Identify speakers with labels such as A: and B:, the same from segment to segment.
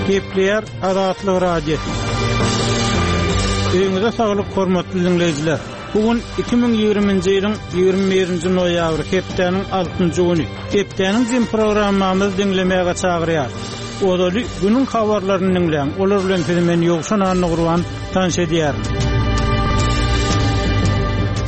A: Gepleýär Azatlyk Radiosy. Öýüňize saglyk hormatly diňleýjiler. Bu gün 2020-nji ýylyň 21-nji noýabry hepdäniň altynjy güni. Hepdäniň jemi programmamyzy diňlemäge çagyrýarys. Ozaly günüň habarlaryny diňläň, olar bilen sizi men Ýowşan Annagurban tanyş edýärin.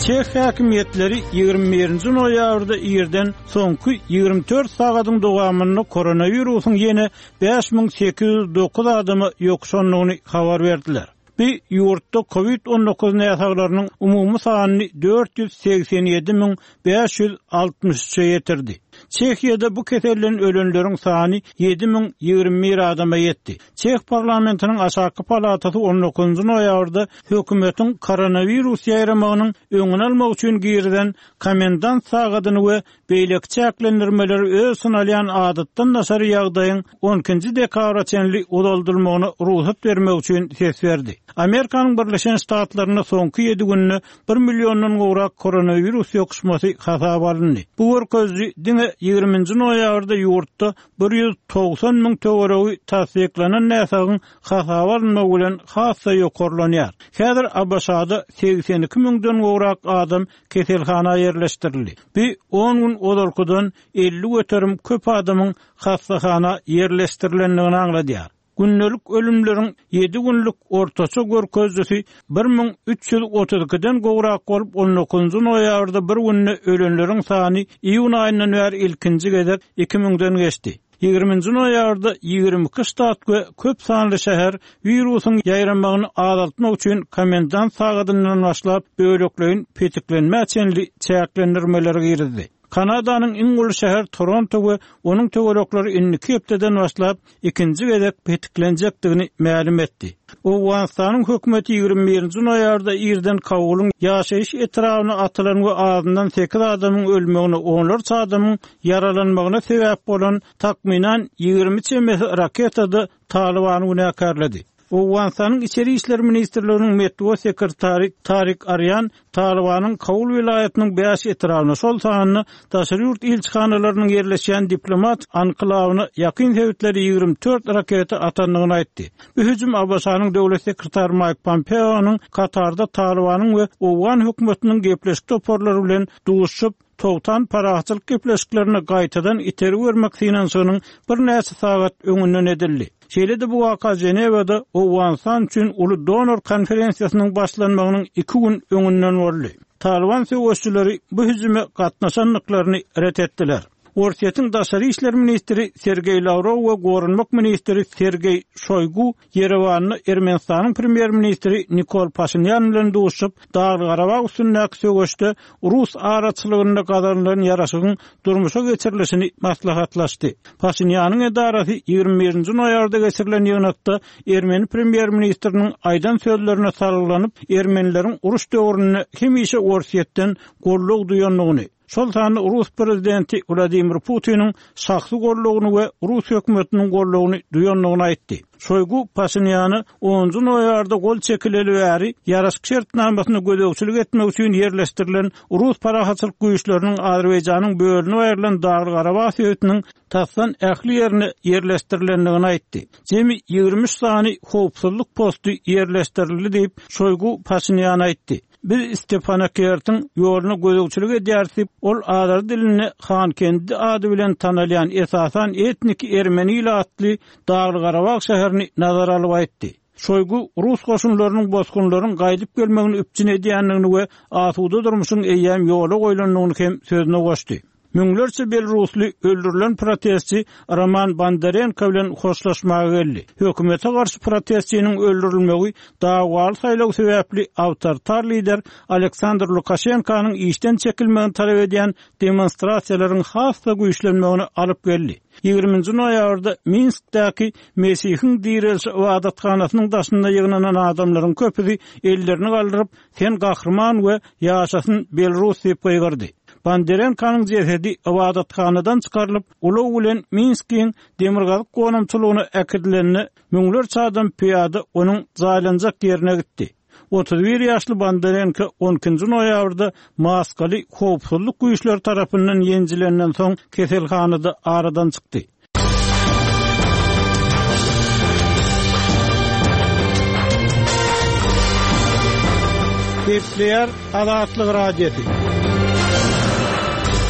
A: Çeh häkimiýetleri 21-nji noýabrda irden soňky 24 sagadyň dowamynda koronawirusyň ýene 5809 adama ýokuşandygyny habar berdiler. Bu ýurtda kowid 19 näsaglarynyň umumy sanyny 487 563-e ýetirdi. Çehiýada bu keselden ölenleriň sany 7021 adama ýetdi. Çeh parlamentiniň aşaky palatasy on dokuzynjy noýabrda hökümetiň koronawirus ýaýramagynyň öňüni almak üçin girizen komendant sagadyny we beýleki çäklendirmeleri öz içine alýan adatdan daşary ýagdaýyň on ikinji dekabra çenli uzaldylmagyna rugsat bermek üçin ses berdi. Amerikanyň Birleşen Ştatlarynda soňky ýedi günde bir milliondan gowrak koronawirus ýokuşmasy hasaba alyndy. Bu görkeziji diňe ýigriminji noýabrda ýurtda 190 müň töweregi tassyklanan näsagyň hasaba alynmagy bilen has-da ýokarlanýar. Häzir ABŞ-da 82 müňden gowrak adam keselhana ýerleşdirildi. Bu on gün ozalkydan 50% köp adamyň hassahana ýerleşdirilendigini aňladýar. Gündelik ölümleriň ýedi günlük ortaça görkezijisi 1332-den gowrak bolup, on dokuzynjy noýabrda bir günde ölenleriň sany iýun aýyndan bäri ilkinji gezek iki müňden geçdi. Ýigriminji noýabrda 22 ştat we köp sanly şäher wirusyň ýaýramagyny azaltmak üçin komendant sagadyndan başlap bölekleýin petiklenmä çenli çäklendirmeleri girizdi. Kanadanyň iň uly şäher Toronto we onuň töwerekleri indiki hepdeden başlap ikinji gezek petiklenjekdigini mälim etdi. Owganystanyň hökümeti 21-nji noýabrda irden Kabulyň ýaşaýyş etrabyna atylan we azyndan sekiz adamyň ölmegine, onlarça adamyň ýaralanmagyna sebäp bolan takmynan 20 çemesi raketada Talybany günäkärledi. Owganystanyň Içeri işler ministrliginiň metbugat sekretary Tarik Arýan Talybanyň Kabul welaýatynyň bäş etrabyna, şol sanda daşary ýurt ilçihanalarynyň ýerleşýän diplomat anklawyna ýakyn sebitlere 24 raketa atandygyny aýtdy. Bu hüjüm ABŞ-nyň döwlet sekretary Maýk Pompeonyň Katarda Talybanyň we owgan hökümetiniň gepleşik toparlary bilen duşuşyp, togtan parahatçylyk gepleşiklerine gaýtadan itergi bermek synanyşygynyň birnäçe sagat öňünden edildi. Şeýle-de bu waka Ženewada Owganystan üçin uly donor konferensiýasynyň başlanmagynyň iki gün öňünden boldy. Talyban söweşijileri bu hüjüme gatnaşandyklaryny ret etdiler. Orsýetiň daşary işler ministri Sergeý Lawrow we goranmak ministri Sergeý Şoýgu Ýerewanda Ermenistanyň premýer-ministri Nikol Paşinýan bilen duşuşyp, Dagly-Garabag üstündäki söweşde rus araçylygynda gazanylan ýaraşygyň durmuşa geçirilişini maslahatlaşdy. Paşinýanyň edarasy 21-nji noýabrda geçirilen ýygnakda ermeni premýer-ministriniň aýdan sözlerine salgylanyp, ermenileriň uruş döwründe hemişe Orsýetden goldaw duýandygyny, şol sanda rus prezidenti Wladimir Putiniň şahsy goldawyny we rus hökümetiniň goldawyny duýandygyny aýtdy. Şoýgu Paşinýana onunjy noýabrda gol çekileli bäri ýaraşyk şertnamasyna gözegçilik etmek üçin ýerleşdirilen rus parahatçylyk güýçleriniň Azerbaýjanyň bölünip aýrylan Dagly-Garabag sebitiniň tasdan ähli ýerine ýerleşdirilendigini aýtdy. Jemi 23 sany howpsuzlyk posty ýerleşdirildi diýip, Şoýgu Paşinýan aýtdy. Biz Stepanakertiň ýoluna gözegçilik edýäris diýip, ol azeri dilinde Hankendi ady bilen tanalýan, esasan etniki ermeni ilatly Dagly-Garabag şäherini nazara alyp aýtdy. Şoýgu rus goşunlarynyň bosgunlaryň gaýdyp gelmegini üpjün edýändigini we asuda durmuşyň eýýäm ýola goýlandygyny hem sözüne goşdy. Müňlerçe belarusly öldürilen protestçi Roman Bondarenko bilen hoşlaşmaga geldi. Hökümete garşy protestçiniň öldürilmegi dawaly saýlaw sebäpli awtoritar lider Aleksandr Lukaşenkonyň işden çekilmegini talap edýän demonstrasiýalaryň has-da güýçlenmegine alyp geldi. Ýigriminji noýabrda Minskdäki Mesihiň direlişi ybadathanasynyň daşynda ýygnanan adamlaryň köpüsi ellerini galdyryp, Sen gahryman we ýaşasyn Belarus diýip gygyrdy. Bondarenkonyň jesedi ybadathanadan çykarylyp, ulag bilen Minskiň demirgazyk gonamçylygyna äkidilende, müňlerçe adam pyýada onuň jaýlanjak ýerine gitdi. 31 ýaşly Bondarenko on ikinji noýabrda maskaly howpsuzlyk güýçleri tarapyndan ýenjilenden soň keselhanada aradan çykdy. Gepleýär Azatlyk Radiosy.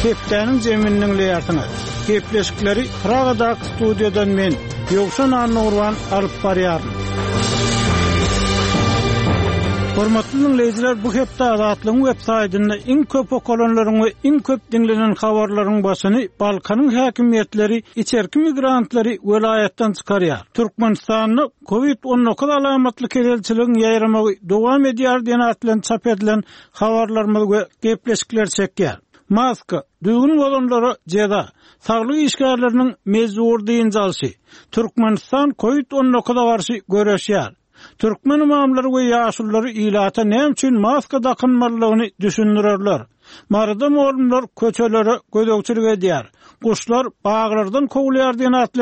A: Hepdäniň jemini diňleýärsiňiz. Gepleşikleri Pragadaky studiýadan men, Ýowşan Annagurban alyp barýaryn. Hormatly diňleýjiler, bu hepde Azatlygyň web saýtynda iň köp okalanlaryň we iň köp diňlenen habarlaryň başyny Balkanyň häkimiýetleri içerki migrantlary welaýatdan çykarýar. Türkmenistanda Covid 19 alamatly keselçiligiň ýaýramagy dowam edýär diýen at bilen çap edilen habarlarymyz we gepleşikler çekýär. Maska, düzgün bozanlara jeza, saglyk işgärleriniň mejbury dynç alşy, Türkmenistan Covid 19-a garşy göreşýär. Türkmen ymamlary we ýaşululary ilata näme üçin maska dakynmalydygyny düşündirerler. Maryda mugallymlar köçelere gözegçilik edýär. Guşlar baglardan kowulýar diýen atly.